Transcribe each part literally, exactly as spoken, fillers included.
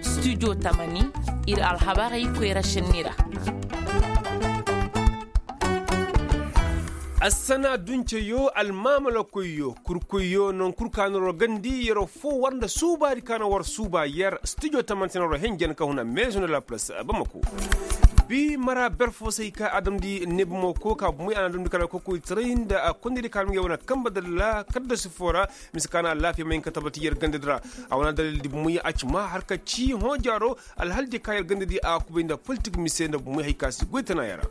Studio tamani, ir alhabarey koyra šenni ra. Assana dunceyo, almaamalakoyyo, kurkoyyo, non kul ka na war gandi, yeroo foo war nda suubaadi ka na war suuba yer. Studio tamani se na war henjen ka huna maison de la place bamako. Bi mara ber foo se hay ka a damndi ne bamako ka bumey a na damndi kala kokoytaray nda kondaydi ka na ngey wane kamba dalla kaddasi foo ra. Mise ka na alaafiya ma hin ka tabati yer gandadi ra. A wane dalildi bumey a ci maa har ka ci hõ jaaro. Alhaldiyo ka yer gandadi a kubay nda politik mise nda bumey hay ka si goy tanaaya ra.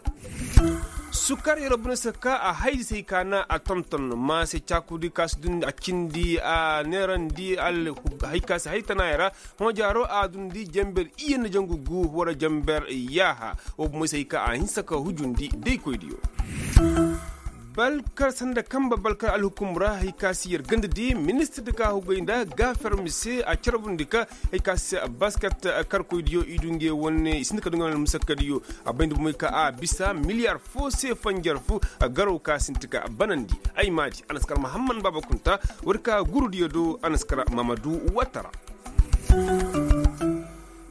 Sukar yer bine se ka a haydi se hay ka na a tonton ma se caakuudi ka si dundi a cindi a neerandi hay ka si hay tanaaya ra. Hõ jaaro a dundi jenber iyye nda jangu gu wara jenber yaaha. Wo bumey se hay ka a hinsa ka hujundi daykoydiyo. Balkar sanda kamba balkar alhukum ra hay ka si yer gandadi ministirdi ka hugay nda gaafermi se a carbundi ka hay ka si basket karkoydiyo i du ngey wane i sinda ka du ngey wane musakkadiyo. A bayndi bumey ka a bisa miliyar foo se fanjar fu garaw ka sinti ka banandi. Ay maadi a na si kar mahamman baaba kunta. War ka gurudiyo do a na si kar mamadu watara.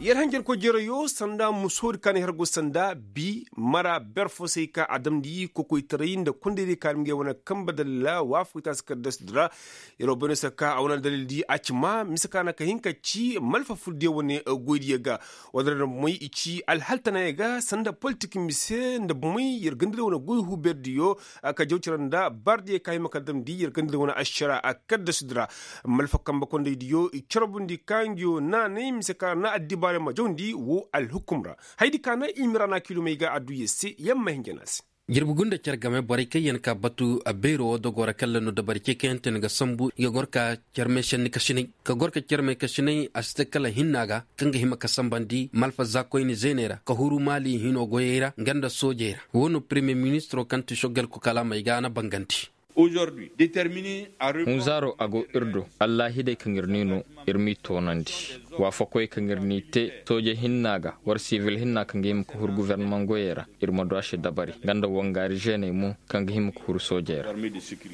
Yer hanjarkoy jereyo sanda musoodi ka na yer go sanda bi mara ber foo se hay ka a damndi kokoytaray nda kondaydiyo ka na ngey wane kamba dalla waafakoy taasi kaddasidi ra. Yer wo bayno se ka a wane dalildi a ci maa mise ka na ka hin ka ci malfa furdiyo wane goydiyo ga. Wala nda bumey i ci alhal tanaaya ga sanda politik mise nda bumey yer gandadi wane goy huberdiyo. Ka jaw cere nda bardiyo ka hima ka damndi yer gandadi wane ašara a kaddasidi ra. Malfa kamba kondaydiyo i carbundi ka nguyo naanay mise ka na addibaarey ma jawndi woo alhukum ra. Hayadi ka na i mira na kilomey ga adduya se yamma hinja na se. Jirbi gunda cer game borey kaŋ yaŋ ka batu a beero woo dogoo ra kaŋ la no dabari cekayanteyaŋ ga sambu i ga goro ka carmey senni kasinay ka goro ka carmey kasinay a si te kala hinna ga kaŋ ga hima ka sambandi malfa zaakoyni zeeney ra ka huru maali hinoo goyey ra nga nda soojey ra. Woo no premiyer ministiroo kaŋ ti sogelko kalaamey ga a na bangandi. Hunzaaroo a go ir do allaahidey kaŋ ir n'i noo ir m'i toonandi waafakoy kaŋ ir n'i tee sooje hinna ga war sivil hinna kaŋ ga hima ka huru gofornamaŋ goyey ra. Ir ma du a se dabari nga nda wangaari zeeney mo kaŋ ga hima ka huru soojey ra.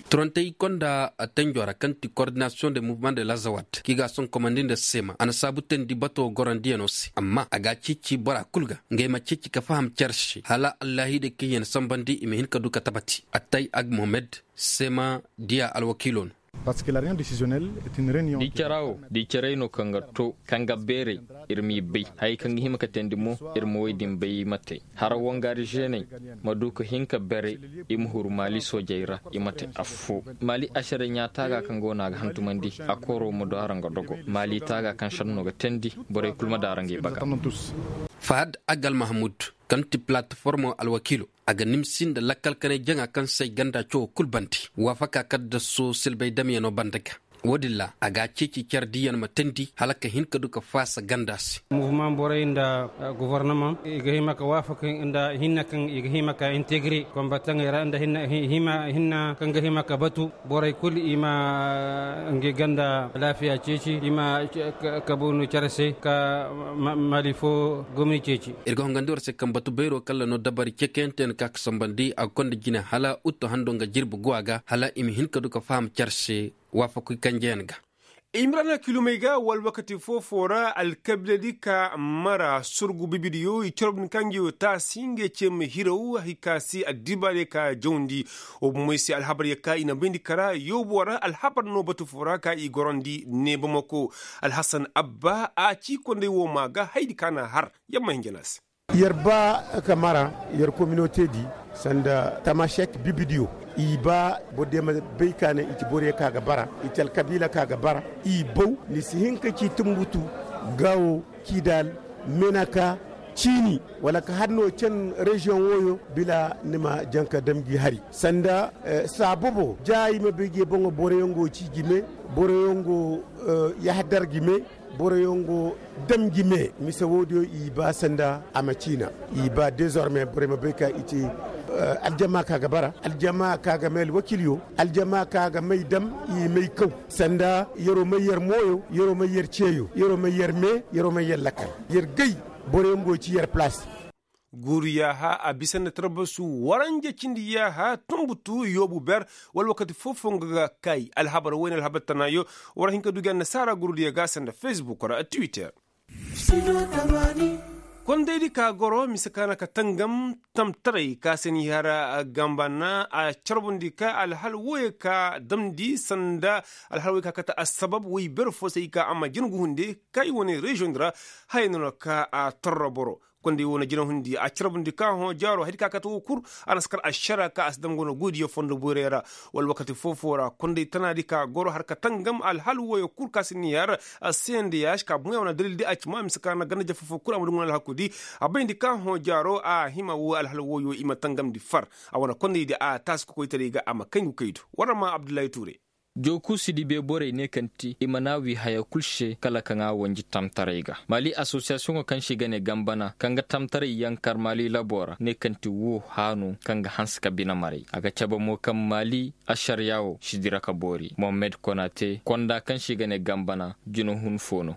Turantey konda tenjoo ra kaŋ ti kordinasiyoŋ de muvmaŋ de lazawaat kaŋ i ga a soŋ komandi nda seema a na saabu teendi batoo gorandiyanoo se amma a ga a ceeci bora kul ga ngey ma ceeci ka faham cer se hala allaahidey kaŋ yaŋ sambandi i ma hin ka du ka tabati. Attay ag mohamed seema diya alwakiiloo no. Di cara wo di caray no kaŋ ga to kaŋ ga beeray ir m'i bay hayey kaŋ ga hima ka teendi mo ir ma woy din bay i ma te hara wangaari zeeney ma du ka hin ka beeray i ma huru maali soojey ra i ma te affoo maali ašaray ɲaataaga kaŋ go no a ga hantumandi a kooroo ma du hara nga dogo maali taaga kaŋ šennoo ga teendi borey kul ma daara ngey baga. Fahad agal mahamud kaŋ ti palataformoo alwakiiloo a ga nimsi nda lakkal kanay jaŋa kaŋ se ay ganda cawoo kul bande waafaka kaddasoo silbay damyanoo bande ga. Woo din ra a ga a ceeci care diiyaŋ ma teendi hala ka hin ka du ka faasa ganda se. Muvumaŋ borey nda gofornamaŋ i ga hima ka waafaka nda hinna kaŋ i ga hima ka integre konbataŋey ra nda hinna kaŋ ga hima ka batu borey kul i ma ngi ganda laafiya ceeci i ma kabu no care se ka mali foo gomni ceeci. Ir ga hongandi war se kaŋ batu bayroo kaŋ ra no dabari cekayanteyaŋ ka ga sambandi a ga konda jine hala uttu hando nga jirbi go a ga hala i ma hin ka du ka faham care se. Waafakuy kanjeyaŋ ga. Imrana kilomey ga wala wakati foo-foo ra alkabiiladi ka mara surgu bibidiyo i corobni ka nga yoo taasi ngey cee ma hiraw hay ka se addibaarey ka jawndi. Woo bomey se alhabaryo ka i na bayndi kara yoobo ra alhabar no batu foo ra ka i gorandi neebamako. Alhasan abba a ci konday woo maa ga hayadi ka na har. Yamma hinja no a se. Yer ba ka mara yer kominote di sanda tamasek bibidiyo. I ba borodiyo ma bay ka ne i ci boroyo ka ga bara i ci alkabiila ka ga bara. I baw ni si hin ka ci tumbutu, gaawo, kiidaal, menaka, ciini wala ka har no can reziyoŋ wooyo bila ni ma jaŋ ka dam gi hari sanda saabobo ja i ma bay gi boŋo boroyaŋ go ci jime. Boroyaŋ go yahadar jime. Boroyaŋ go dam jime mise woodiyo i ba sanda a ma ciina. I ba dezorme borey ma bay ka i ci aljama ka ga bara aljama ka ga may alwakiilyo aljama ka ga may dam. I may kaw sanda yeroo may yer mooyo yeroo may yer ceeyo yeroo may yer mee yeroo may yer lakkal. Yer gay boroyaŋ go ci yer palaasi. Guuru yaaha a bisa nda tarbasu waranja cindi yaaha tunbutu yoobu ber. Wala wakati foo-foo nga ga kay alhabar woy na alhabar tanaayo. War hin ka du gi annasaara gurudiyo ga sanda fesbuk ra twitter. Kondaydi ka goro mise ka na ka tangam tamtaray ka se ni hara gamba na a carbundi ka alhal woyey ka damndi sanda alhal woyey ka kate assabab woy ber fo se i ka a ma jin gu hunde. Ka i wane reziyoŋ di ra haya no na ka a torro boro. Konday wo na jina hundi a carbundi ka hõ jaaro hari ka kate wo kul. A na si kar ašara ka a si dam go no goydiyo fondo borey ra. Wala wakati foo-foo ra konday tanaadi ka goro har ka tangam alhal woyo kul ka si ni har a seendiyaš ka buŋya wane dalildi a ci ma mise ka na ganda jafa foo kul a ma duŋ wane alhakudi. A bayndi ka hõ jaaro a hima wo alhal woyo i ma tangamndi far. A wane kondaydi a taasi kokoytaray ga a ma kay ngu kay do. War ma abdullahi tuure. Jookuusi dibe borey ne kaŋ ti i mana wi haya kul se kala kaŋ a wanji tamtaray ga. Mali asosiyasiyoŋo kaŋ se i ga ne gambana kaŋ ga tamtaray yaŋ kar mali laboo ra ne kaŋ ti woo haanu kaŋ ga hanse ka bine maray a ga cabe mo kaŋ mali ašariyaa woo si dira ka boori mohammed konate konda kaŋ se i ga ne gambana. Jina hun foo no.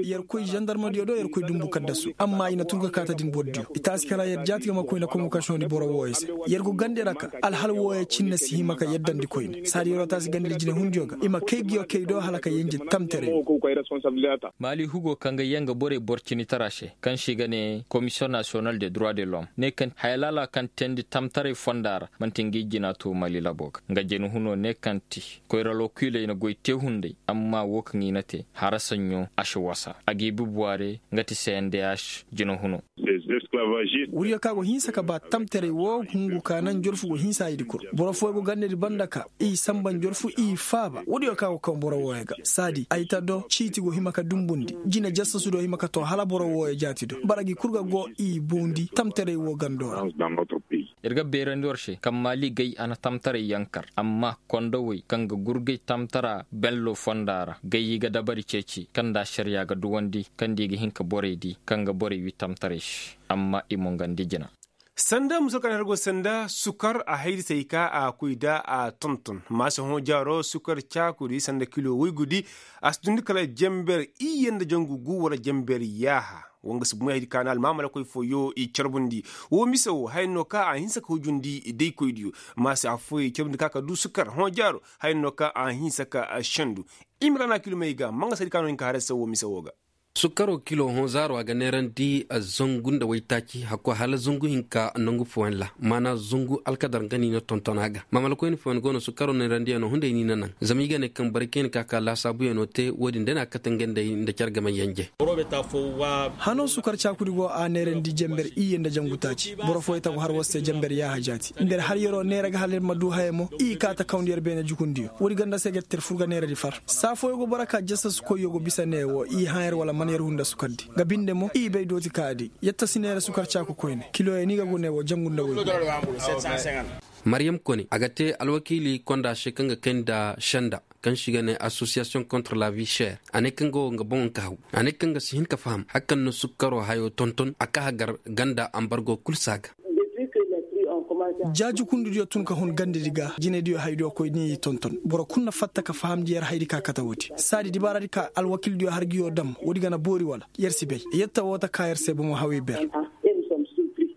Yer koy zandarmadiyo do yer koy dumbu kaddasu amma i na tun ka kaata din bordiyo i taasi kala yer jaati ga ma koy na komu kaŋ se no ni boro wooyo se. Yer go gande ra ka alhal wooyo cinne si hima ka yaddandi koyne saadi yeroo taasi gande da jinehundiyo ga i ma kay nguyo kay do hala ka yenje tamtere. Maali hugo kaŋ ga yee nga borey boro cinitara se kaŋ se i ga ne komisiyoŋ nasiyonal de droit de lom ne kaŋ haya laala kaŋ teendi tamtaray fonda ra man'ti ngi jina to maali laboo ga nga jinehunoo ne kaŋ ti koyra lokiiley na goy tee hunday amma woo kaŋ i na tee hara saɲɲo a si wasa a g'i bi buwaare nga ti cndh. Jinehunoo. Wuriyo ka go hinsa ka ba tamtaray woo hungu ka naŋ jorfu go hinsa i di kul. Boro fooyo go gandadi banda ka i samba njorfu i faaba woodiyo ka go kaŋ boro wooyo ga saadi ay ta do ciiti go hima ka dumbundi jine jassasu do hima ka too hala boro wooyo jaati do bara gi kul ga go i bundi tamtaray woo gando ra. Ir ga beerandi war se kaŋ maali gay a na tamtaray yaŋ kar amma kondowey kaŋ ga gurgay tamtara bello fonda ra gay i ga dabari ceeci kaŋ nda ašariya ga duwandi kaŋ nda i ga hin ka borey di kaŋ ga borey wi tamtaray se amma i mungandi jina. Sanda muso kaŋ na har go sanda sukar a haydi se i ka a koy da a tonton maasa hõ jaaro sukar caakudi sanda kilo woygudi. A si dundi kala jember iyye nda jangu gu wala jember yaaha. Wanga si bumey haydi ka na almaamalakoy fooyo i carbundi. Woo mise woo haya no ka a hinsa ka hujundi daykoydiyo. Maasa afooyo i carbundi ka ka du sukar hõ jaaro haya no ka a hinsa ka sendu. Imrana kilomey ga manga se haydi ka no hin ka har se woo mise woo ga. Sukkaroo kiloo hõ zaaroo a ga neerandi zangu nda waytaaci hakko hala zangu hinka nangu fooyaŋ ra. Maana zangu alkadar nga no i na tonton a ga maamalakoyni fooyaŋ go no sukkaroo neerandiyaŋo hunday no i na naŋ zama i ga ne kaŋ boro kaŋ i na ka ka laasaabuyaŋo te wo-din day no a ga kate ngey nda care game yanje. Hanoo sukar caakudi go a neerandi jember iyye nda jangu taaci boro fooyaŋ ta go har war se jember yaaha jaati nda yer har yeroo neera ga hala yer ma du haya mo i kaa ta kawndi yer beene jukundiyo. Woodi ganda se ga yer tir fur ga neeradi far saa fooyaŋ go boro ka jassasu koyyo go bisa ne wo i hã yer wala man yer hunda sukardi nga binde mo i bay dooti ka a di. Yer ta si neera sukar caaku koyne kilooyaŋ ni ga go ne wo jangu nda woy. Maryam kone a ga te alwakiili konda se kaŋ ga kay nda senda kaŋ se i ga ne asosiyasiyoŋ kontra la vi ser. A ne kaŋ ga wo nga boŋo ka haw a ne kaŋ ga si hin ka faham hari kaŋ na sukkaroo hayoo tonton a ka hagar ganda ambargo kul se a ga. Jaajukundidiyo tun ka hun gandedi ga jinediyo haydiyo koy ni i tonton boro kul na fatta ka fahamndi yer haydi ka kate woodi saadi dibaaradi ka alwakildiyo har nguyo dam woodi ga na boori wala yer si bay. Yer ta woo ta ka yer se bomo hawey ber.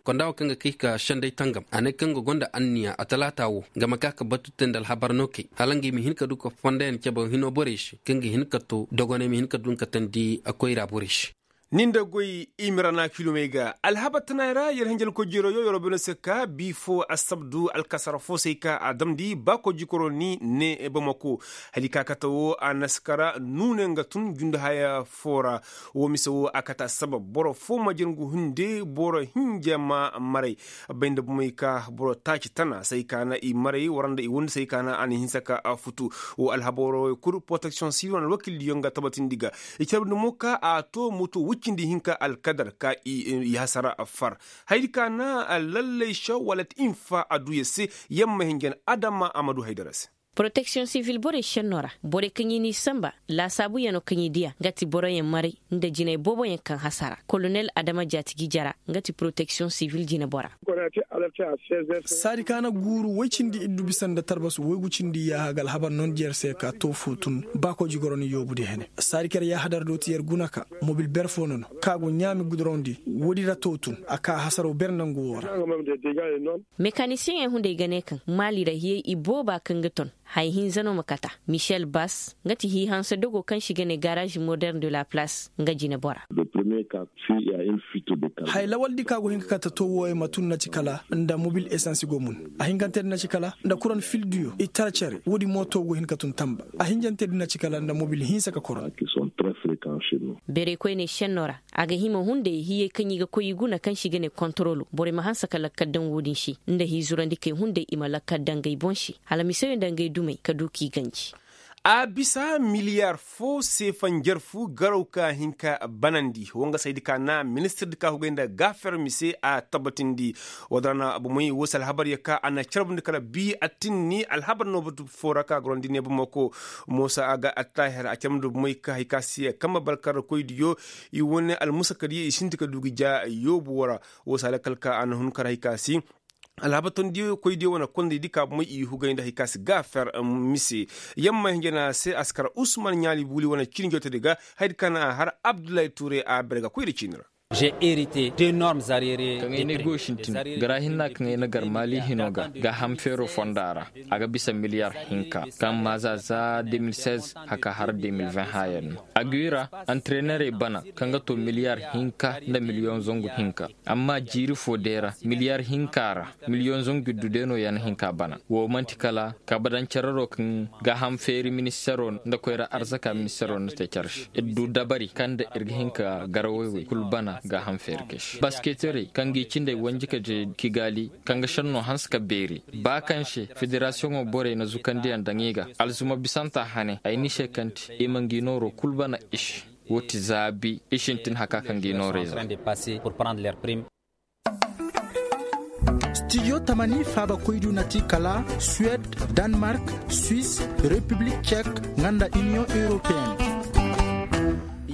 Konda woo kaŋ ga kay ka senday tangam a ne kaŋ ga gonda anniya a talaata woo nga ma ka ka batu te nda alhabar no kay hala ngey ma hin ka du ka fondayaŋ cebe hino borey se kaŋ ga hin ka to dogoney ma hin ka du nga katandi koyra borey se. Ni nda goy imirana kilomey ga alhabar tanaay ra yer hinjal kojiro yo yer wo bene se ka bi fo assabdu alkasara fo se ay ka a damndi ba kojikoro ni ne bamako. Hala i ka kate wo a na si kara nuune nga tun jundi haya fo ra. Wo mise wo a kate assabab boro fo ma jin ngu hunde boro hinja ma maray. Bay nda bomey ka boro taaci tana se ay ka na i maray wara nda i windi se ay ka na a na hinsa ka futu. Wo alhabaroo kul poroteksiyoŋ sibil wane alwakildiyo nga tabatindi ga. I carbundi mo ka a to moto woy cindi hinka alkadar ka i hasara far. Hayadi ka na lallay se wala ti infa a du yer se. Yer ma hinjan adama a ma du haydara se. Poroteksiyoŋ sivil borey šennoo ra, borey kaŋ i n'i sanba, laasaabuyanoo kaŋ i diya nga ti boroyaŋ maray nda jinay booboyaŋ kaŋ hasara. Kolonel adama jaatigi jara nga ti poroteksiyoŋ sivil jinebora. Saadi ka na guuru woy cindi iddu bisa nda tarbasu woygu cindi yaaha ga alhabar nondi yer se ka too foo tun, ba koji goro ni yoobu di hene. Saadi ka yer yaaha dar do ti yer guna ka mobil ber foo nono, ka go ɲaami gudorondi. Woodi ra too tun a ka hasaroo ber nangu woo ra. Mekanisiyeŋey hunday ga ne kaŋ maali ra hiyey ibooba kaŋ ga ton, haya hinza no ma kata. Michel bas, nga ti hiihanse dogo kaŋ se i ga ne garaazi moderne de la palaas, nga jinebora. Haya lawaldi ka go hin ka kate too wooyey ma tun na ci kala nda mobil esansi go mun. A hinkanteedi na ci kala nda kuran fildiyo i tara cere woodi mooto go hin ka tun tamba. A hinjanteedi na ci kala nda mobil hinsa ka koron. Beerey koyney šennoo ra, a ga hima hunday hiyey kaŋ i ga koy i guna kaŋ se i ga ne kontorolo borey ma hanse ka lakkal daŋ woodin se, nda hiizurandikey hunday i ma lakkal daŋ ngey boŋ se, hala miseyo nda ngey dumey ka du k'i ganji. A bisa miliyaar foo seefa njarfu garaw ka hin ka banandi wangasaydi ka na ministirdi ka hugay nda gaafer mise a tabatindi. Woo da ra na bomey woo se alhabar ya ka a na carbundi kala bii a tinni alhabar no batu foo ra ka gorandi ne bomey ko, moosa a ga attahir a carbundi bomey ka hay ka se kambe balkarkoydiyo. I wane almusakadiyo i sinti ka du ga ja yoobu woo ra. Woo se alakal ka a na hun kar hay ka se alhabar tondiyo koydiyo wane kondaydi ka bomey i hugay nda hay ka se gaafer mise. Yamma hinja na a se a si kar usman ɲaali buuli wane ciini jootedi ga. Hayadi ka na a har abdullahi tuure a bere ga koyri ciini ra. Kaŋ ay na ay goy sintin gara hinna kaŋ ay na gar maali hino ga gaaham feeroo fonda ra. A ga bisa miliyar hinka kaŋ maaza za de mil seize haka har de mil vingt haayan no. A ga wi ra antirenerey bana kaŋ ga to miliyar hinka nda miliyoŋ zangu hinka. Amma jiiri foo day ra miliyar hinka ra miliyoŋ zangu iddu day no ya na hin ka bana. Woo man'ti kala kabadaŋ cararoo kaŋ gaaham feeri ministaroo nda koyra arzaka ministaroo na te care se ir du dabari kaŋ nda ir ga hin ka garawey wey kul bana gaaham feeri kay se basketerey kaŋ ga i cindey wanji ka je kigaali kaŋ ga šennoo hanse ka beeri. Ba kaŋ se federasiyoŋoo borey na zukandiyaŋ daŋ i ga alzuma bisanta hane ay n'i se kaŋ ti i ma ngi nooroo kul bana i se. Woo ti zaabi i sintin haka kaŋ ga i noorey zaa. Stijo tamani faabakoydu na ti kala suwed, danmark, swis, repiblik cek, nga nda iniyoŋ europeen.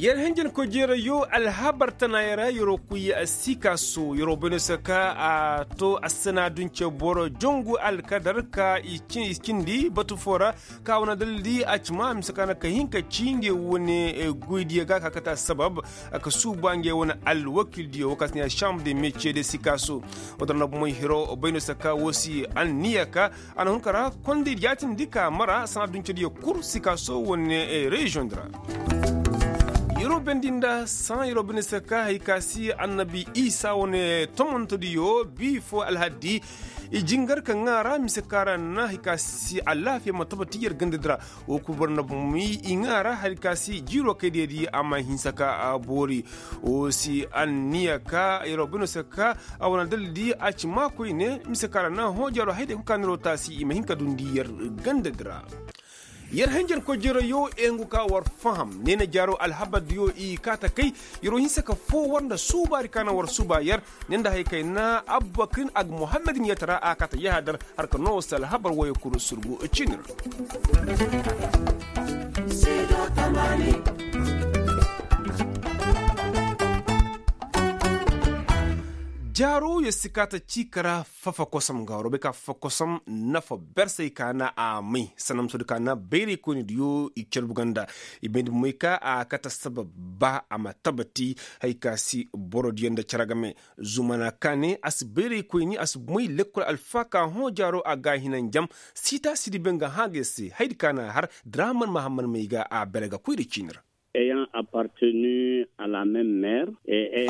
Yer hinjin kojeerayo alhabar tanaayey ra yeroo kuy sikaso yeroo bay no se ka a to assana dunce boro jongu alkadar ka i cindi batu foo ra. Ka wane dalildi a ci ma mise ka na ka hin ka ci nge wane goydiyo ga ka kate assabab ka suuba nge wane alwakildiyo woo ka si ne chambre de metier de sikaso. Woo dara na bomey hiro bay no se ka woo si anniya ka a na hun ka ra konday jaatindi ka mara sana duncediyo kul sikaso wane reziyoŋ di ra. Yeroo bendi nda saŋ yeroo bendi se ka hay ka si annabi isa wane tomantodiyo bii foo alhaddi. I jingar ka ŋaa ra mise ka ra na hay ka si alaafiya ma tabati yer ganda di ra. Woo kul boro na bumi i ŋaa ra hay ka si jiiroo kay diya di a ma hinsa ka boori. Woo si anniya ka yeroo bendi se ka a wane dalil di a ci maa koyne mise ka ra na hõ jaaroo hay day kul ka niroo taasi i ma hin ka dundi yer ganda di ra. Yer hanjar koy jeroyo engu ka war faham ne na jaaro alhabar diyo i kaata kay. Yeroo hinsa ka foo war nda suubaari ka na war suuba yer ne nda hay kay na abubakrin ag muhammadin yatara a kaata yahadar har ka noo war si alhabar woyo kul surgu ciinir. Jaaro yer si kaata cii ka ra fafa kosam ga war bay ka fafa kosam nafa bersey ka na a may sanamsodi ka na bayraykoynidiyo i carbu ganda. I bayndi moy ka a kate sabab ba a ma tabati. Hay ka si borodiyo nda cere game zumana ka ne a si bayraykoyni a si moy lekkol alfaaka hõ jaaro a ga a hina njam. Siita sidi be nga hã ga yer se haydi ka na a har draman mahamman may ga a bere ga koyra ciini ra.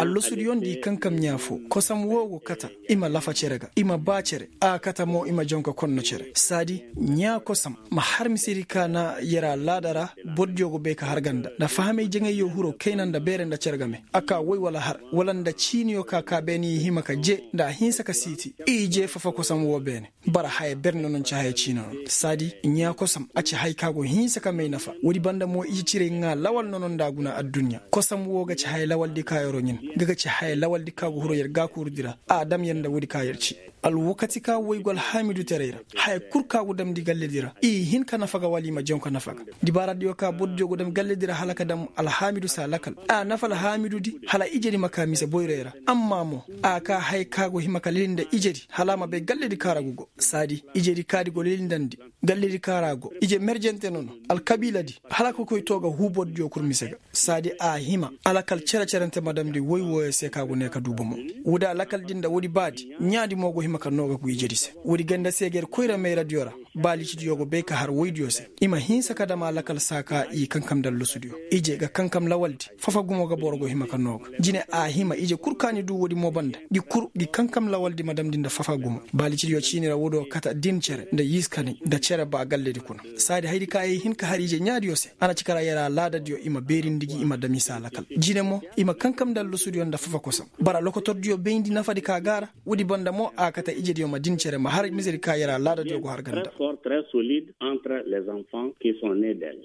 Allasudiyoŋ nda i kankam ɲaa foo kosam woo go kata. I ma lafa cere ga i ma baa cere a kata mo i ma jonka konno cere saadi ɲaa kosam ma har misedi ka na yer alaada ra. Bordiyo go bay ka har ganda nda fahamey jaŋayyo hiro kayna nda beere nda cere game a ka woy wala har wala nda ciiniyo ka ka beene i hima ka jee nda a hinsa ka siiti i jee fafa kosam woo beene. Bara haya ber nono ci haya ciino no saadi ɲaa kosam a ci hay ka go hinsa ka may nafa woodi banda mo i ci ciray ŋaa lawal nono nda. Guna adduɲɲa kosam woo ga ci haya lawaldi ka yer'o ɲin. Nga ga ci haya lawaldi ka go huru yer gaakuurudi ra. A dam yer nda woodi ka yer ci alwakati ka woy go alhaamidu teray ra. Haya kul ka go damndi galledi ra i hin ka nafa ga wala i ma jaŋ ka nafa ga. Dibaaradiyo ka bordiyo go dam galledi ra hala ka dam alhaamidu se a lakal. A nafa alhaamidudi hala ijedi ma ka mise boyray ra. Amma mo a ka haya ka go hima ka lili nda ijedi hala a ma bay galledi ka ra go go saadi ijedi kaadi go lili ndandi. Galledi ka ra go ije merjente nono alkabiiladi hala ka koy too ga huu bordiyo kul mise ga. Saadi a hima alakal cere-cerente ma damndi woy wooyo se ka go ne ka duu bomo. Woodi alakal di nda woodi baadi ɲaadi mo go hima ka noo ga ku ijedi se. Woodi ganda se ga yer koyra mayradiyo ra. Baalicidiyo go bay ka har woydiyo se i ma hinsa ka dam alakal saa ka i kankam nda allusudiyo. Ije ga kankam lawaldi fafa gumo ga boro go hima ka noo ga jine a hima ije kul ka ni duu woodi mo banda. Gi kul gi kankam lawaldi ma damndi nda fafa gumo. Baalicidiyo ciini ra woodiyo kate din cere nda yiiskanay nda cere ba galledi kuna. Saadi hayadi ka ay hin ka har ije ɲaadiyo se a na ci kara yer alaadadiyo i ma beerindi gi i ma dam i se alakal. Jine mo i ma kankam nda allusudiyo nda fafa kosam. Bara lokotordiyo bayndi nafadi ka ga a ra. Woodi banda mo a kate ijediyo ma din cere ma har misedi ka yer alaadadiyo go har ganda. Solide entre les enfants ki sont ne del.